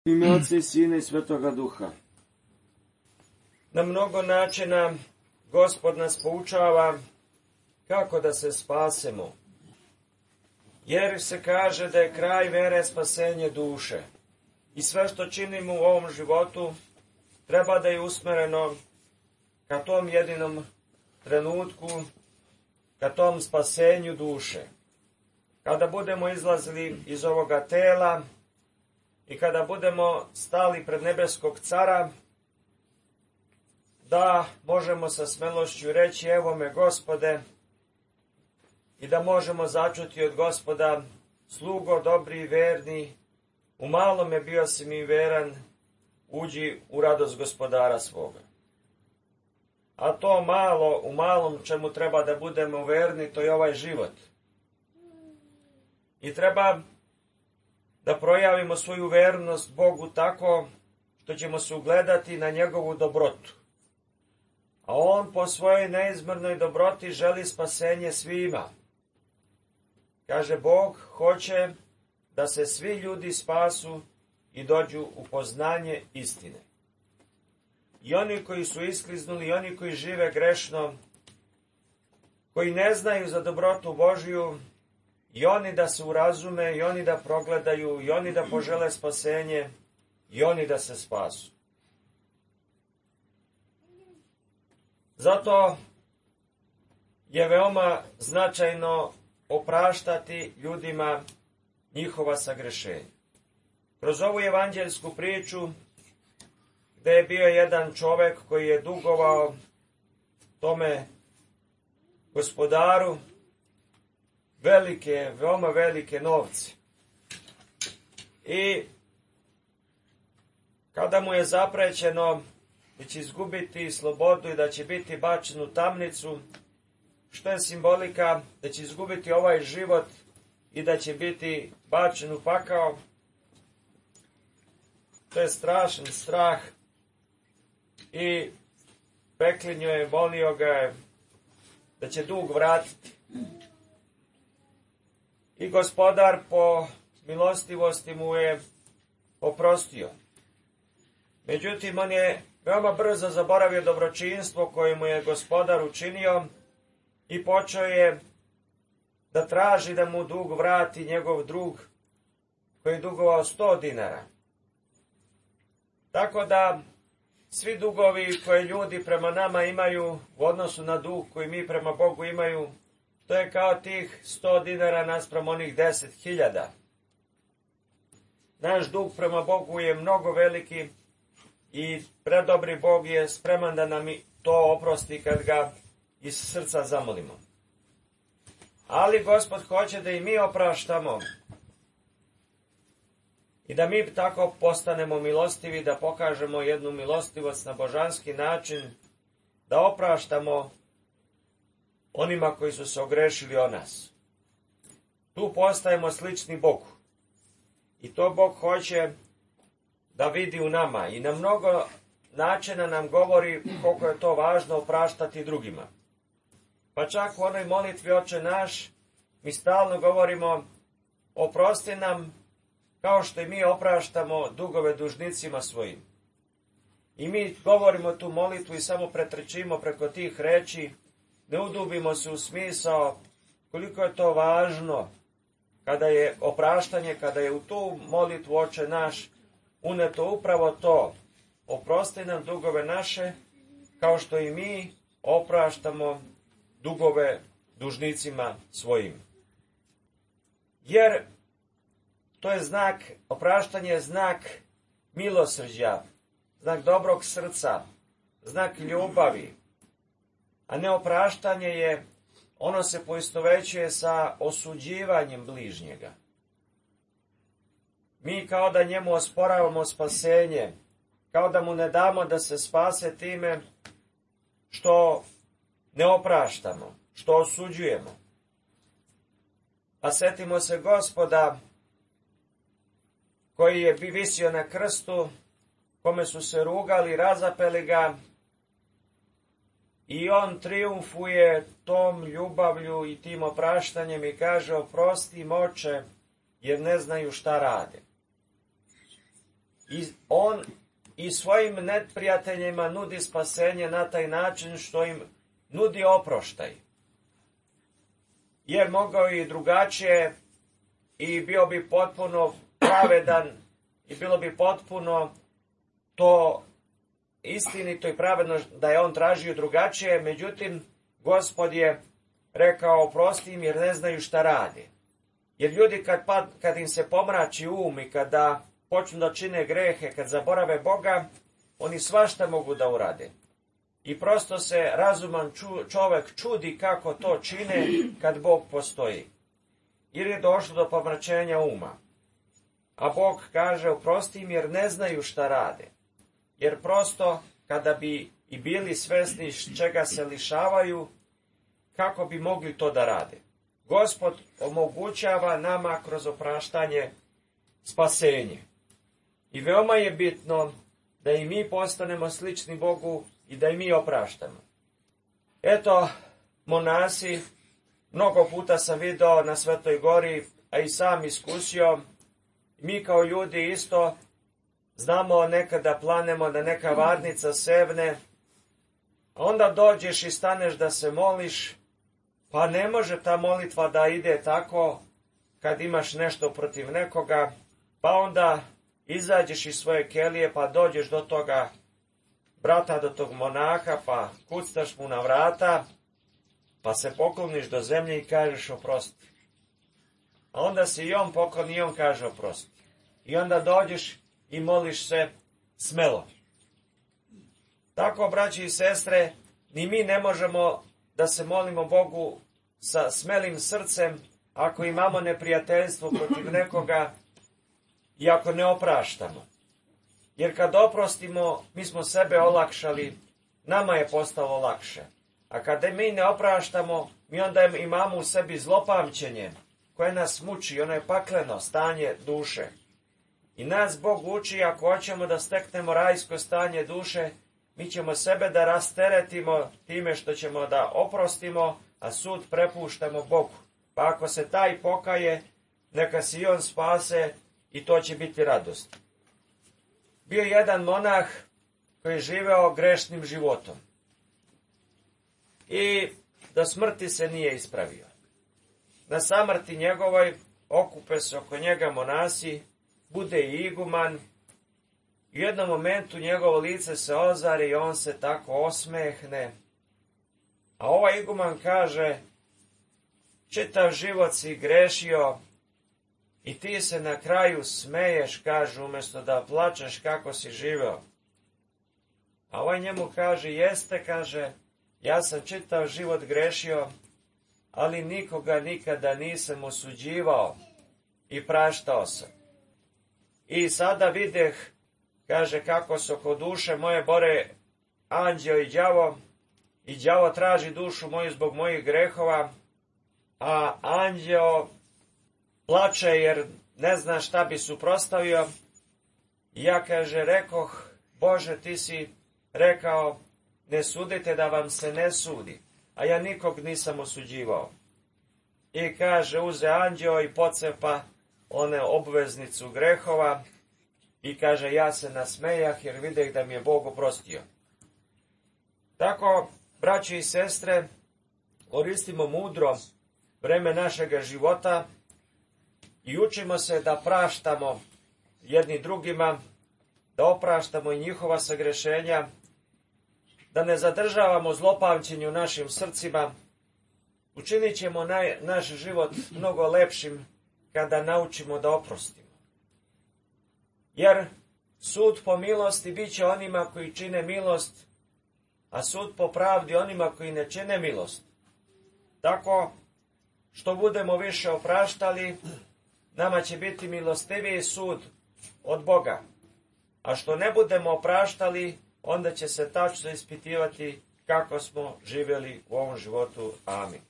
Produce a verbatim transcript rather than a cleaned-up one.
Ime Otca i Sina i Svetoga Duha. Na mnogo načina Gospod nas poučava kako da se spasemo. Jer se kaže da je kraj vere spasenje duše. I sve što činimo u ovom životu treba da je usmereno ka tom jedinom trenutku, ka tom spasenju duše. Kada budemo izlazili iz ovoga tela i kada budemo stali pred nebeskog cara, da možemo sa smelošću reći evo me Gospode i da možemo začuti od Gospoda slugo dobri i verni, u malome bio si mi veran, uđi u radost gospodara svoga. A to malo, u malom čemu treba da budemo verni, to je ovaj život. I treba da projavimo svoju vernost Bogu tako što ćemo se ugledati na njegovu dobrotu. A on po svojoj neizmjernoj dobroti želi spasenje svima. Kaže, Bog hoće da se svi ljudi spasu i dođu u poznanje istine. I oni koji su iskliznuli, i oni koji žive grešno, koji ne znaju za dobrotu Božju, i oni da se urazume, i oni da progledaju, i oni da požele spasenje, i oni da se spasu. Zato je veoma značajno opraštati ljudima njihova sagrešenja. Kroz ovu evanđelsku priču, gde je bio jedan čovek koji je dugovao tome gospodaru velike, veoma velike novce. I kada mu je zaprećeno da će izgubiti slobodu i da će biti bačen u tamnicu, što je simbolika da će izgubiti ovaj život i da će biti bačen u pakao, to je strašan strah i peklinjo je, molio ga je da će dug vratiti. I gospodar po milostivosti mu je oprostio. Međutim, on je veoma brzo zaboravio dobročinstvo koje mu je gospodar učinio i počeo je da traži da mu dug vrati njegov drug koji je dugovao sto dinara. Tako da svi dugovi koje ljudi prema nama imaju u odnosu na dug koji mi prema Bogu imaju, to je kao tih sto dinara naspram onih deset hiljada. Naš dug prema Bogu je mnogo veliki i predobri Bog je spreman da nam to oprosti kad ga iz srca zamolimo. Ali Gospod hoće da i mi opraštamo i da mi tako postanemo milostivi, da pokažemo jednu milostivost na božanski način, da opraštamo onima koji su se ogrešili o nas. Tu postajemo slični Bogu. I to Bog hoće da vidi u nama. I na mnogo načina nam govori koliko je to važno opraštati drugima. Pa čak u onoj molitvi Oče naš, mi stalno govorimo oprosti nam kao što i mi opraštamo dugove dužnicima svojim. I mi govorimo tu molitvu i samo pretrčimo preko tih reči, ne udubimo se u smisao koliko je to važno kada je opraštanje, kada je u tu molitvu Oče naš uneto upravo to. Oprosti nam dugove naše kao što i mi opraštamo dugove dužnicima svojim. Jer to je znak, opraštanje je znak milosrđa, znak dobrog srca, znak ljubavi. A neopraštanje je, ono se poistovećuje sa osuđivanjem bližnjega. Mi kao da njemu osporavamo spasenje, kao da mu ne damo da se spase time što ne opraštamo, što osuđujemo. A setimo se Gospoda koji je visio na krstu, kome su se rugali, razapeli ga, i on triumfuje tom ljubavlju i tim opraštanjem i kaže oprosti im Oče, jer ne znaju šta rade. I on i svojim neprijateljima nudi spasenje na taj način što im nudi oproštaj. Jer mogao i drugačije i bio bi potpuno pravedan i bilo bi potpuno to istinito i pravedno da je on tražio drugačije, međutim, Gospod je rekao oprosti im jer ne znaju šta radi. Jer ljudi kad, pad, kad im se pomrači um i kada počnu da čine grehe, kad zaborave Boga, oni svašta mogu da urade. I prosto se razuman ču, čovek čudi kako to čine kad Bog postoji. Jer je došlo do pomračenja uma. A Bog kaže oprosti im jer ne znaju šta rade. Jer prosto kada bi i bili svesni čega se lišavaju, kako bi mogli to da rade. Gospod omogućava nama kroz opraštanje spasenje. I veoma je bitno da i mi postanemo slični Bogu i da i mi opraštamo. Eto, monasi, mnogo puta sam video na Svetoj gori, a i sam iskusio, mi kao ljudi isto znamo nekada planemo da neka varnica sevne, a onda dođeš i staneš da se moliš, pa ne može ta molitva da ide tako kad imaš nešto protiv nekoga, pa onda izađeš iz svoje kelije pa dođeš do toga brata, do tog monaha, pa kuctaš mu na vrata, pa se pokloniš do zemlje i kažeš oprosti. A onda se i on pokloni i on kaže oprosti. I onda dođeš i moliš se smelo. Tako, braći i sestre, ni mi ne možemo da se molimo Bogu sa smelim srcem ako imamo neprijateljstvo protiv nekoga i ako ne opraštamo. Jer kad oprostimo, mi smo sebe olakšali, nama je postalo lakše. A kada mi ne opraštamo, mi onda imamo u sebi zlopamćenje koje nas muči, ono je pakleno stanje duše. I nas Bog uči, ako hoćemo da steknemo rajsko stanje duše, mi ćemo sebe da rasteretimo time što ćemo da oprostimo, a sud prepuštamo Bogu. Pa ako se taj pokaje, neka se i on spase i to će biti radost. Bio je jedan monah koji je živeo grešnim životom. I do smrti se nije ispravio. Na samrti njegovoj okupe se oko njega monasi, bude i iguman. U jednom momentu njegovo lice se ozari i on se tako osmehne. A ovaj iguman kaže, čitav život si grešio i ti se na kraju smeješ, kaže, umjesto da plačeš kako si živeo. A ovaj njemu kaže, jeste, kaže, ja sam čitav život grešio, ali nikoga nikada nisam osuđivao i praštao sam. I sada videh, kaže, kako se oko duše moje bore anđeo i đavo, i đavo traži dušu moju zbog mojih grehova, a anđeo plače jer ne zna šta bi suprostavio. I ja, kaže, rekoh, Bože, ti si rekao, ne sudite da vam se ne sudi, a ja nikog nisam osuđivao. I kaže, uze anđeo i pocepa one obveznicu grehova i kaže, ja se nasmejah jer videh da mi je Bog oprostio. Tako, braći i sestre, koristimo mudro vreme našega života i učimo se da praštamo jedni drugima, da opraštamo i njihova sagrešenja, da ne zadržavamo zlopamćenje u našim srcima. Učinit ćemo naj, naš život mnogo lepšim kada naučimo da oprostimo. Jer sud po milosti bit će onima koji čine milost, a sud po pravdi onima koji ne čine milost. Tako, što budemo više opraštali, nama će biti milostiviji sud od Boga. A što ne budemo opraštali, onda će se tačno ispitivati kako smo živjeli u ovom životu. Amin.